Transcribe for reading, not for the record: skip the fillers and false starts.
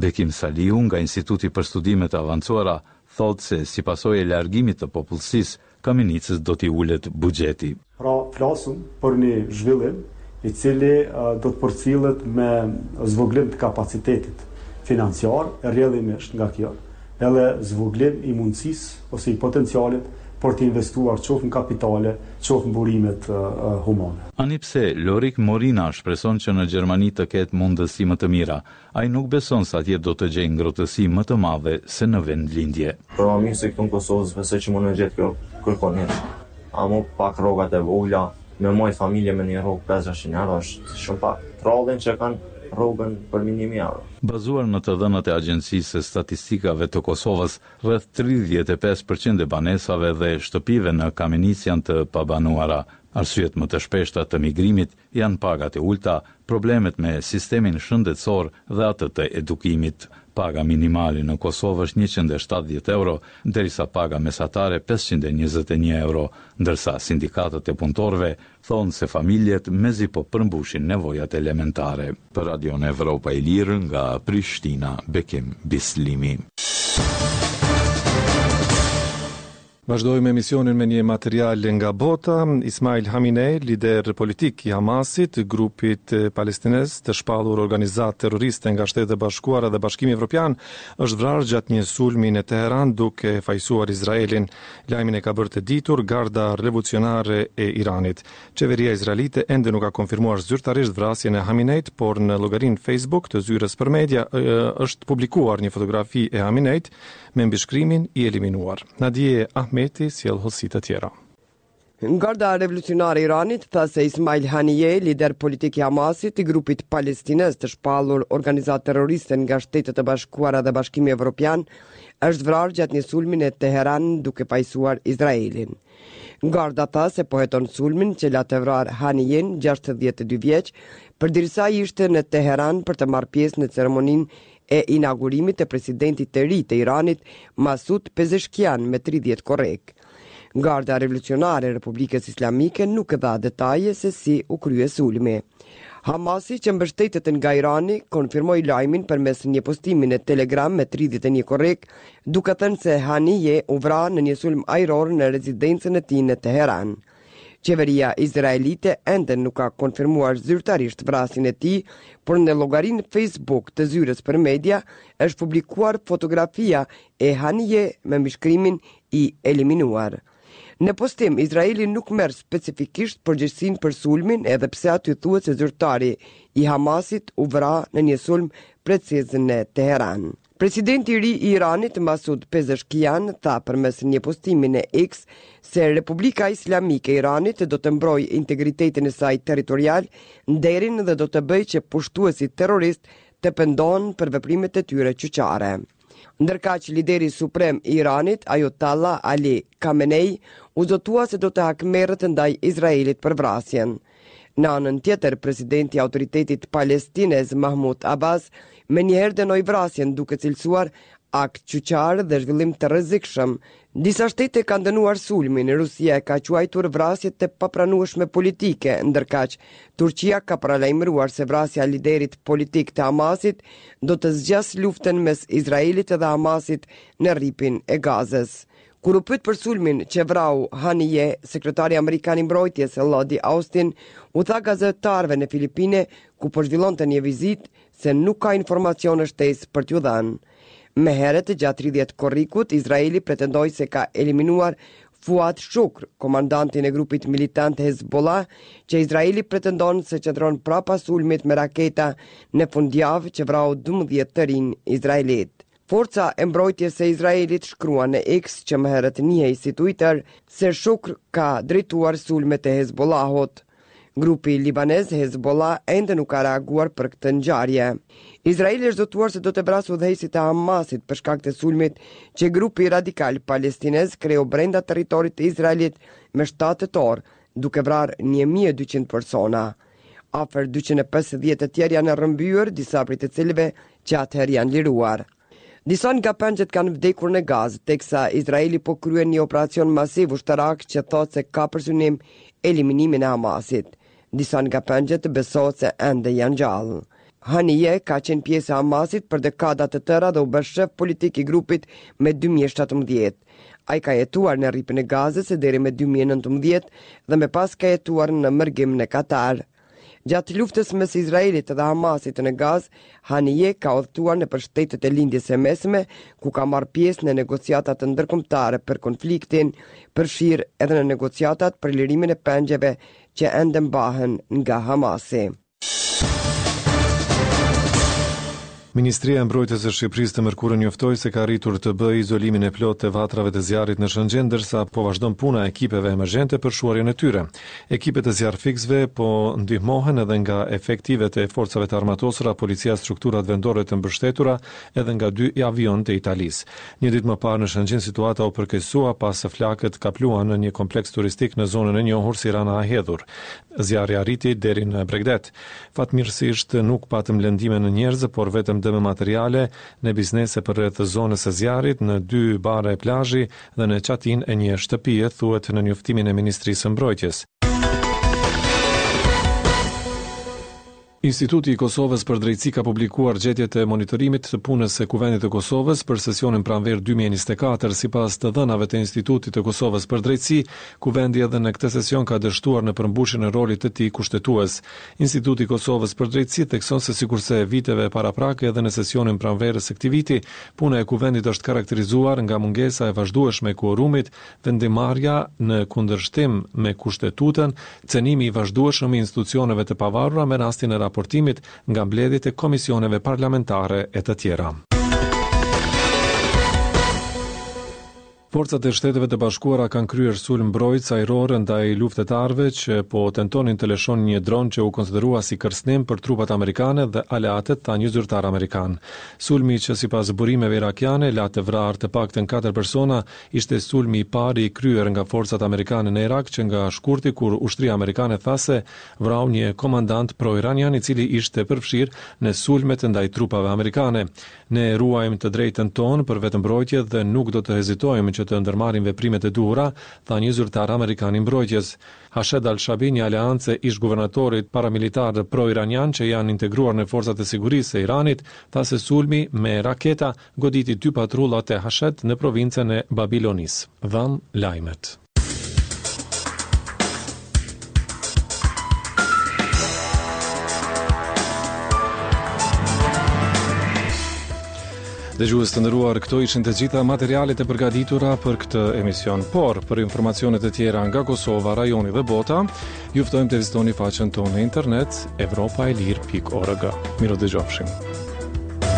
Bekim Salihu nga Instituti për Studime të Avancuara thotë se si pasojë e largimit të popullsisë, Kamenicës do t'i ulet buxheti. Pra flasim për një zhvillim i cili do të përcillet me zvogëlim të kapacitetit financiar e rrjedhimisht nga kjo edhe zvogëlim i mundësisë ose i potencialit për të investuar qoftë në kapitale, qoftë në burimet humane. Ani pse Lorik Morina shpreson që në Gjermani të ketë mundësi më të mira, ai nuk beson se atje do të gjejë ngrohtësi më të madhe se në vendlindje. Për ma mirë se këtu në Kosovë s'besoj që mund me gjetë kjo kërkon hiç. Amo pak rrogat e vogla, me majt familje me një rrogë 5-600 euro është shumë pak. Trallin që kanë rrogën për mi 1000 euro. Bazuar në të dhënat e Agjencisë së Statistikave të Kosovës, rreth 35 për qind e banesave dhe shtëpive në Kamenicë janë të pabanuara. Arsyet më të shpeshta të migrimit janë pagat e ulëta, problemet me sistemin shëndetësor dhe atë të edukimit. Paga minimale në Kosovë është 170 euro, derisa paga mesatare 521 euro, ndërsa sindikatat e punëtorëve thonë se familjet mezi po përmbushin nevojat elementare. Për Radion Evropa e Lirë nga Prishtina, Bekim Bislimi. Vazhdojmë emisionin me një material nga bota. Ismail Haniyeh, lider politik i Hamasit, grupit palestinez të shpallur organizatë terroriste nga Shtetet e Bashkuara dhe Bashkimi Evropian, është vrarë gjatë një sulmi në Teheran duke fajësuar Izraelin. Lajmin e ka bërë të ditur Garda Revolucionare e Iranit. Qeveria izraelite ende nuk ka konfirmuar zyrtarisht vrasjen e Haminejt, por në llogarinë Facebook të zyrës për media është publikuar një fotografi e Haminejt me mbishkrimin i eliminuar. Nadie Ahmeti sjell hollësi të tjera. Garda Revolucionare e Iranit tha se Ismail Haniyeh, lider politik i Hamasit, i grupit palestinez të shpallur organizatë terroriste nga Shtetet e Bashkuara dhe Bashkimi Evropian, është vrarë gjatë një sulmi në Teheran duke fajësuar Izraelin. Garda tha se po heton sulmin që la të vrarë Haniyen, 62 vjeç, përderisa ishte në Teheran për të marrë pjesë në ceremoninë e inaugurimit të presidentit të ri të Iranit, Masud Pezeshkian me 30 korrik. Garda Revolucionare e Republikës Islamike nuk dha detaje se si u krye sulmi. Hamasi që mbështetet nga Irani konfirmoi lajmin përmes një postimi në Telegram me 31 korrik, duke thënë se Haniyeh u vra në një sulm ajror në rezidencën e tij në Teheran. Qeveria izraelite ende nuk ka konfirmuar zyrtarisht vrasjen e tij, por në llogarinë Facebook të zyrës për media është publikuar fotografia e Haniyeh me mbishkrimin i eliminuar. Në postim, Izraeli nuk merr specifikisht përgjegjësinë për sulmin, edhe pse aty thuhet se zyrtari i Hamasit u vra në një sulm preciz në Teheran. Presidenti i ri i Iranit, Masud Pezeshkian, tha përmes një postimi në X se Republika Islamike e Iranit do të mbrojë integritetin e saj territorial, nderin dhe do të bëjë që pushtuesit terroristë të pendohen për veprimet e tyre qyqare. Ndërkaq lideri suprem i Iranit, Ayatollah Ali Khamenei, u zotua se do të hakmerret ndaj Izraelit për vrasjen. Në anën tjetër, presidenti i autoritetit palestinez Mahmud Abbas menjëherë dënoi vrasjen duke cilësuar akt qyqar dhe zhvillim të rrezikshëm. Disa shtete kanë dënuar sulmin, Rusia e ka quajtur vrasje të papranueshme politike, ndërkaq Turqia ka paralajmëruar se vrasja e liderit politik të Hamasit do të zgjasë luftën mes Izraelit dhe Hamasit në rripin e Gazës. Kur u pyet për sulmin që vrau Haniyeh, sekretari amerikan i mbrojtjes Lloyd Austin u tha gazetarëve në Filipine, ku po zhvillonte një vizitë, se nuk ka informacione shtesë për t'ju dhënë. Më herët, gjatë 30 korrikut, Izraeli pretendoi se ka eliminuar Fuad Shukr, komandantin e grupit militant Hezbollah, që Izraeli pretendon se qëndron prapa sulmit me raketa në fundjavë që vrau 12 të rinj izraelitë. Forca e mbrojtjes së Izraelit shkruan në X, që më herët njihej si Twitter, se Shukr ka drejtuar sulmet e Hezbollahut. Grupi libanez Hezbollah ende nuk ka reaguar për këtë ngjarje. Izraeli është zotuar se do të vrasë udhëheqësit e Hamasit për shkak të sulmit që grupi radikal palestinez kreu brenda territorit të Izraelit me 7 tetor, duke vrarë 1200 persona. Afër 250 të tjerë janë rrëmbyer, disa prej të cilëve që atëherë janë liruar. Disa nga pengjet kanë vdekur në Gazë, teksa Izraeli po kryen një operacion masiv ushtarak që thotë se ka për synim eliminimin e Hamasit. Disa nga pengjet besohet se ende janë gjallë. Haniyeh ka qenë pjesë e Hamasit për dekada të tëra dhe u bë shef politik i grupit me 2017. Ai ka jetuar në Rripin e Gazës deri me 2019 dhe më pas ka jetuar në mërgim në Katar. Gjatë luftës mes Izraelit dhe Hamasit në Gazë, Haniyeh ka udhëtuar nëpër shtetet e Lindjes së Mesme, ku ka marrë pjesë në negociatat ndërkombëtare për konfliktin, përfshirë edhe në negociatat për lirimin e pengjeve që ende mbahen nga Hamasi. Ministria e Mbrojtjes e Shqipërisë të mërkurën njoftoi se ka arritur të bëjë izolimin e plotë të vatrave të zjarrit në Shëngjin, ndërsa po vazhdon puna e ekipeve emergjente për shuarjen e tyre. Ekipet e zjarrfikësve po ndihmohen edhe nga efektivët e Forcave të Armatosura, policia, strukturat vendore të mbështetura edhe nga dy avionë të Italisë. Një ditë më parë në Shëngjin situata u përkeqësua pasi flakët kapluan në një kompleks turistik në zonën e njohur si Rana e Hedhur. Zjarri arriti deri në bregdet. Fatmirësisht nuk patëm lëndime në njerëz, por vetëm dëme materiale në biznese përreth zonës së zjarrit, në dy bare plazhi dhe në çatinë e një shtëpie, thuhet në njoftimin e Ministrisë së Mbrojtjes. Instituti i Kosovës për Drejtësi ka publikuar gjetjet e monitorimit të punës së Kuvendit të Kosovës për sesionin pranverë 2024. Sipas të dhënave të Institutit të Kosovës për Drejtësi, Kuvendi edhe në këtë sesion ka dështuar në përmbushjen e rolit të tij kushtetues. Instituti i Kosovës për Drejtësi thekson se sikurse viteve paraprake edhe në sesionin pranverës së këtij viti, puna e Kuvendit është karakterizuar nga mungesa e vazhdueshme e kuorumit, vendimmarrja në kundërshtim me Kushtetutën, cenimi i vazhdueshëm i institucioneve të pavarura me rastin e raportimit nga mbledhjet e komisioneve parlamentare e të tjera. Forcat e Shteteve të Bashkuara kanë kryer sulm mbrojtës ajror ndaj luftëtarëve që po tentonin të lëshonin një dron që u konsiderua si kërcënim për trupat amerikane dhe aleatët, tha një zyrtar amerikan. Sulmi që sipas burimeve irakiane la të vrarë të paktën katër persona Ishte sulmi i parë i kryer nga forcat amerikane në Irak që nga shkurti kur ushtria amerikane tha se vrau një komandant pro-iranian i cili ishte përfshirë në sulmet ndaj trupave amerikane. Ne ruajmë të drejtën tonë për vetëmbrojtje dhe nuk do të hezitojmë që të ndërmarrim veprimet e duhura, tha një zyrtar amerikan i mbrojtjes. Hashed al-Shabi, një aleancë e ish-guvernatorit paramilitar pro-iranian që janë integruar në forcat e sigurisë së Iranit, tha se sulmi me raketa goditi dy patrullat e Hashed në provincën e Babilonisë. Dhamë lajmet. Dëgjues të nderuar, këto ishin të gjitha materialet e përgatitura për këtë emision. Por, për informacione të tjera nga Kosova, rajoni dhe bota, ju ftojmë të vizitoni faqen tonë në internet evropaelire.org. Mirudëgjofshim.